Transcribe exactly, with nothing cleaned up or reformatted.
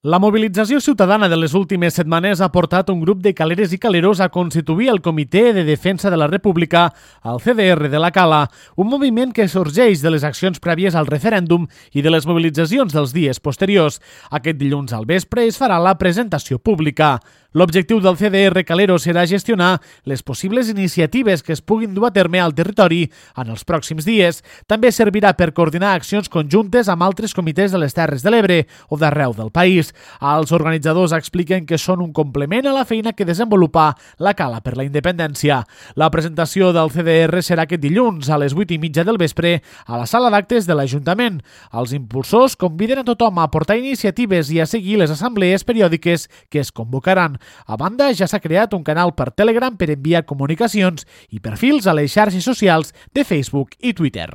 La mobilització ciutadana de les últimes setmanes ha portat un grup de caleres i caleros a constituir el Comitè de Defensa de la República al C D R de la Cala, un moviment que sorgeix de les accions prèvies al referèndum i de les mobilitzacions dels dies posteriors. Aquest dilluns al vespre es farà la presentació pública. L'objectiu del C D R Calero serà gestionar les possibles iniciatives que es puguin dur a terme al territori en els pròxims dies. També servirà per coordinar accions conjuntes amb altres comitès de les Terres de l'Ebre o d'arreu del país. Els organitzadors expliquen que són un complement a la feina que desenvolupa la Cala per la Independència. La presentació del C D R serà aquest dilluns a les vuit i mitja del vespre a la sala d'actes de l'Ajuntament. Els impulsors conviden a tothom a aportar iniciatives i a seguir les assemblees periòdiques que es convocaran. A banda, ja s'ha creat un canal per Telegram per enviar comunicacions i perfils a les xarxes socials de Facebook i Twitter.